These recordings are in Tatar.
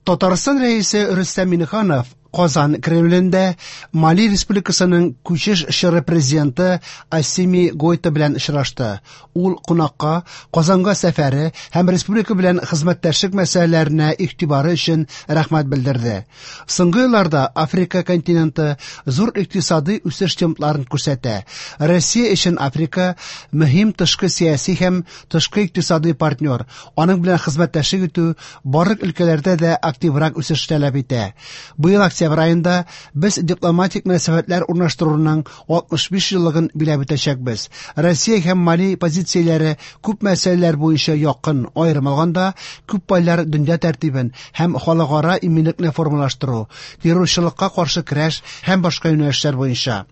Татарстан Рәисе Рөстәм Миңнеханов Казан Кремлендә Мали Республикасының күчеш чоры президенты Ассими Гойта белән очрашты. Ул кунакка Казанга сәфәре һәм республика белән хезмәттәшлек мәсьәләләренә игътибары өчен рәхмәт белдерде. Соңгы елларда Африка континенты зур икътисадый үсеш темпларын күрсәтә. Россия өчен Африка мөһим тышкы сәяси һәм тышкы икътисадый партнер. Аның белән хезмәттәшлек итү барлык өлкәләрдә дә активрак үсеш таләп итә. Быел октябрь аенда без дипломатик мөнәсәбәтләр урнаштыруның 65 еллыгын биләп үтәчәкбез. Россия һәм Мали позицияләре күп мәсьәләләр буенча якын, аерым алганда, күп поляр дөнья тәртибен һәм халыкара иминлекне формалаштыру, террорчылыкка каршы көрәш һәм башка юнәлешләр буенча.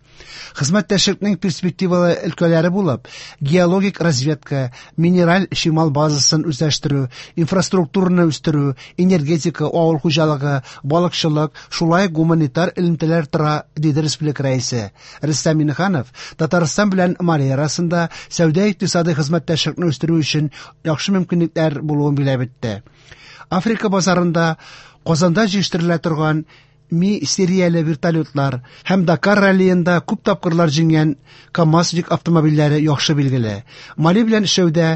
Хезмәттәшлекнең перспективалы өлкәләре булып, геологик разведка, минераль чимал базасын үзләштерү, инфраструктураны үстерү, энергетика, авыл хуҗалыгы, балыкчылык, шулай ук гуманитар элемтәләр тора, диде республика рәисе. Рөстәм Миңнеханов Татарстан белән Мали арасында сәүдә-икътисадый хезмәттәшлекне үстерү өчен яхшы мөмкинлекләр булуын билгеләп үтте. Африка базарында Казанда җитештерелә торган Ми серияле вертолетлар һәм Дакар раллиенда күп тапкырлар җиңгән КАМАЗ йөк автомобильләре яхшы билгеле. Мали белән эшләүдә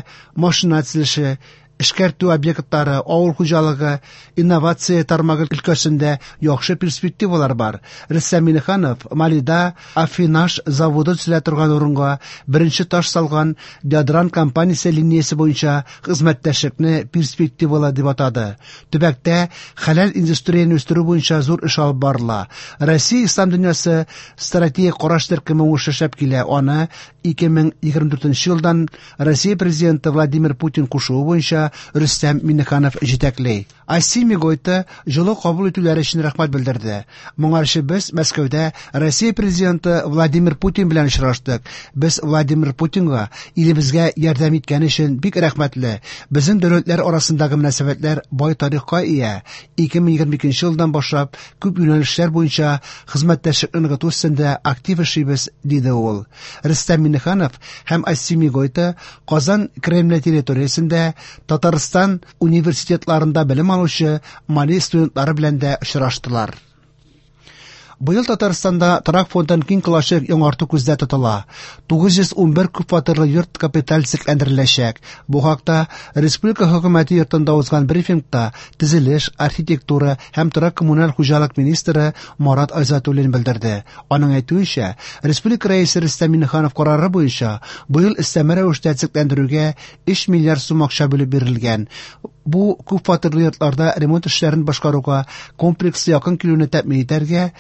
машина төзелеше, эшкәртү объектлары, авыл хуҗалыгы, инновация тармагы өлкәсендә яхшы перспективалар бар. Рөстәм Миңнеханов Малида аффинаж заводы төзелә торган урынга беренче таш салган Ядран компаниясе линиясе буенча хезмәттәшлекне перспективалы дип атады. Төбәктә хәләл индустрияне үстерү буенча зур эш алып барыла. Россия ислам дөньясы стратегик караш төркеме уңышлы эшләп килә. Аны 2024 елдан Россия президенты Владимир Путин кушуы буенча Рөстәм Миңнеханов җитәкли. Ассими Гойта җылы кабул итүләре өчен рәхмәт белдерде. Моңарчы без Мәскәүдә Россия президенты Владимир Путин белән очраштык. Без Владимир Путинга илебезгә ярдәм иткәне өчен бик рәхмәтле. Безнең дәүләтләр арасындагы мөнәсәбәтләр бай тарихка ия. 2022 елдан башлап күп юнәлешләр буенча хезмәттәшлекне ныгыту өстендә актив эшлибез, диде ул. Рөстәм Миңнеханов һәм Ассими Гойта Казан Кремле территориясендә Татарстан университетларында белем алучы Мали студентлары белән дә очраштылар. Быел Татарстанда торак фондын киң колачлы яңарту күздә тотыла. 911 күпфатирлы йорт капиталь төзекләндереләчәк. Бу хакта республика хөкүмәте йортында узган брифингта төзелеш, архитектура һәм торак-коммуналь хуҗалык министры Марат Айзатуллин белдерде. Аның әйтүенчә, республика рәисе Рөстәм Миңнеханов карары буенча быел өстәмә рәвештә төзекләндерүгә 3 миллиард сум акча бүлеп бирелгән. Бу күпфатирлы йортларда ремонт эшләрен башкаруга комплекслы якын килүне тәэмин итәргә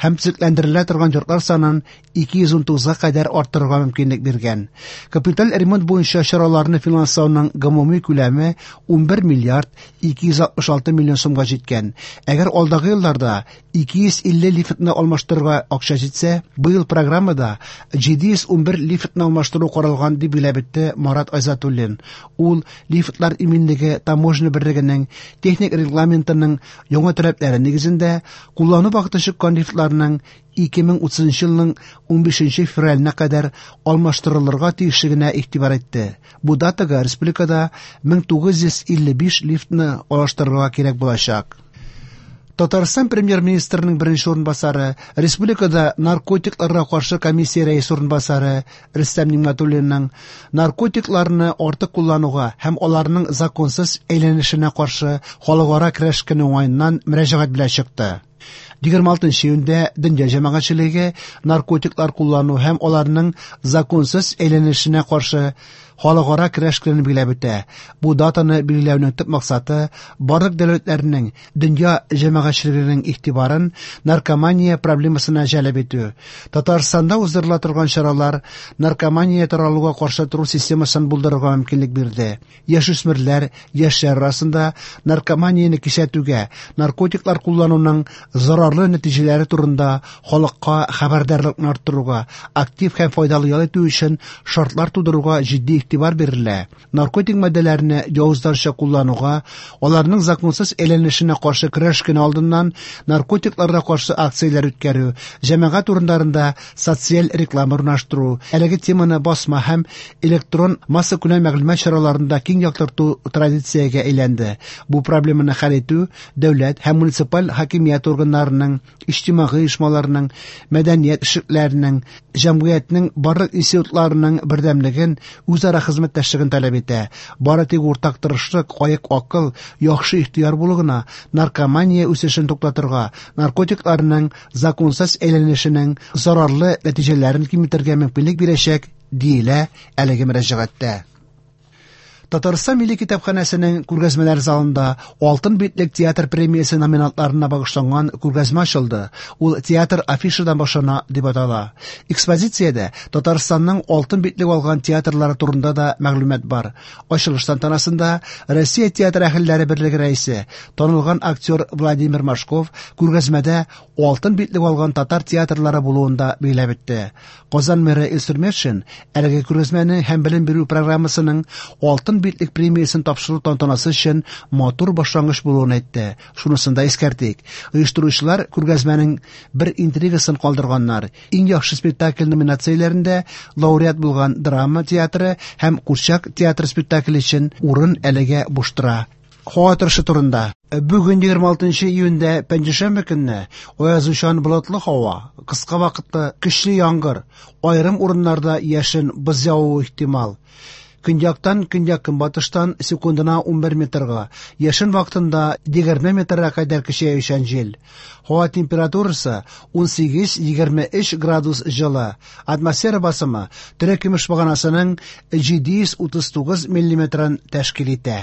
һәм төзекләндерелә торган йортлар санын 219-га кадәр арттырырга мөмкинлек биргән. Капиталь ремонт буенча чараларны финанслауның гомуми күләме 11 миллиард 266 миллион сумга җиткән. Әгәр алдагы елларда 250 лифтны алмаштырырга акча җитсә, быел программада 711 лифтны алмаштыру каралган, дип билгеләп үтте Марат Айзатуллин. Ул лифтлар иминлеге таможня берлегенең техник регламентының яңа таләпләре нигезендә куллану вакыты чыккан лифтларның 2030 елның 15 февраленә кадәр алмаштырылырга тиешлегенә игътибар итте. Бу датага республикада 1955 лифтны алыштырырга кирәк булачак. Татарстан премьер-министрының беренче урынбасары, республикада наркотикларга каршы комиссия рәисе урынбасары Рөстәм Нигъмәтуллинның наркотикларны артык куллануга һәм аларның законсыз әйләнешенә каршы халыкара көрәш көне уңаеннан мөрәҗәгать белән чыкты. 26 июньдә дөнья җәмәгатьчелеге наркотиклар куллану һәм аларның законсыз әйләнешенә каршы халыкара көрәш көнен билгеләп үтә. Бу датаны билгеләүнең төп максаты барлык дәүләтләрнең дөнья җәмәгатьчелегенең игътибарын наркомания проблемасына җәлеп итү. Татарстанда уздырыла торган чаралар наркомания таралуга каршы тору системасын булдырырга мөмкинлек бирде. Яшүсмерләр, яшьләр арасында наркоманияне кисәтүгә, наркотиклар куллануның зарарлы нәтиҗәләре турында халыкка хәбәрдарлыкны арттыруга, актив һәм файдалы ял итү өчен шартлар тудыруга җитди игътибар бирелә. Наркотик матдәләрне явызларча куллануга, аларның законсыз әйләнешенә каршы көрәш көне алдыннан наркотикларга каршы акцияләр үткәрү, җәмәгать урыннарында социаль реклама урнаштыру, әлеге теманы басма һәм электрон массакүләм мәгълүмат чараларында киң яктырту традициягә әйләнде. Бу проблеманы хәл итү дәүләт һәм муниципаль хакимият органнарының, иҗтимагый оешмаларның, мәдәният эшлекләренең, җәмгыятьнең барлык институтларының бердәмлеген, үзара хезмәттәшлеген таләп итә. Бары тик уртак тырышлык, аек акыл, яхшы ихтыяр булу гына наркомания үсешен туктатырга, наркотикларның законсыз әйләнешенең зарарлы нәтиҗәләрен киметергә мөмкинлек бирәчәк, диелә әлеге мөрәҗәгатьтә. Татарстан Милли китапханәсенең күргәзмәләр залында Алтын битлек театр премиясе номинантларына багышланган күргәзмә ачылды. Ул театр афишадан башлана дип атала. Экспозициядә Татарстанның алтын битлек алган театрлары турында да мәгълүмат бар. Ачылыш тантанасында Россия театр әһелләре берлеге рәисе, танылган актер Владимир Машков күргәзмәдә алтын битлек алган татар театрлары булуын да билгеләп үтте. Казан мэры Илсур Метшин әлеге күргәзмәне һәм белем бирү программасының алтын битлек премиясен тапшыру тантанасы өчен матур башлангыч булуын әйтте. Шунысын да искәртик. Оештыручылар күргәзмәнең бер интригасын калдырганнар. Иң яхшы спектакль номинацияләрендә лауреат булган драма театры һәм курчак театры спектакле өчен урын әлегә буш тора. Һава торышы турында. Бүген 26 июньдә пәнҗешәмбе көнне аязучан болытлы һава, кыска вакытлы көчле яңгыр, аерым урыннарда яшен, боз явуы ихтимал. Көньяктан, көньяк-көнбатыштан секундына 11 метрга, яшен вакытында 20 метрга кадәр көчәючән җил. Һава температурасы 18-23 градус җылы. Атмосфера басымы терекөмеш баганасының 739 миллиметрын тәшкил итә.